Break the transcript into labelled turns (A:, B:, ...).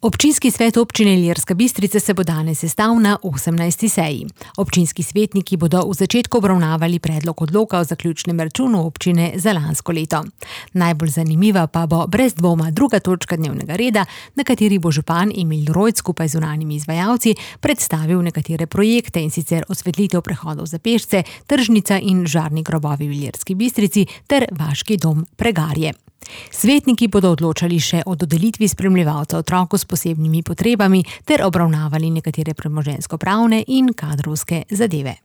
A: Občinski svet občine Ilirska Bistrica se bo danes sestal na 18. seji. Občinski svetniki bodo v začetku obravnavali predlog odloka o zaključnem računu občine za lansko leto. Najbolj zanimiva pa bo brez dvoma druga točka dnevnega reda, na kateri bo župan Emil Rojc skupaj z zunanjimi izvajalci predstavil nekatere projekte, in sicer osvetlitev prehodov za pešce, tržnica in žarni grobovi v Ilirski Bistrici ter vaški dom Pregarje. Svetniki bodo odločali še o dodelitvi spremljevalca otroku s posebnimi potrebami ter obravnavali nekatere premoženjsko-pravne in kadrovske zadeve.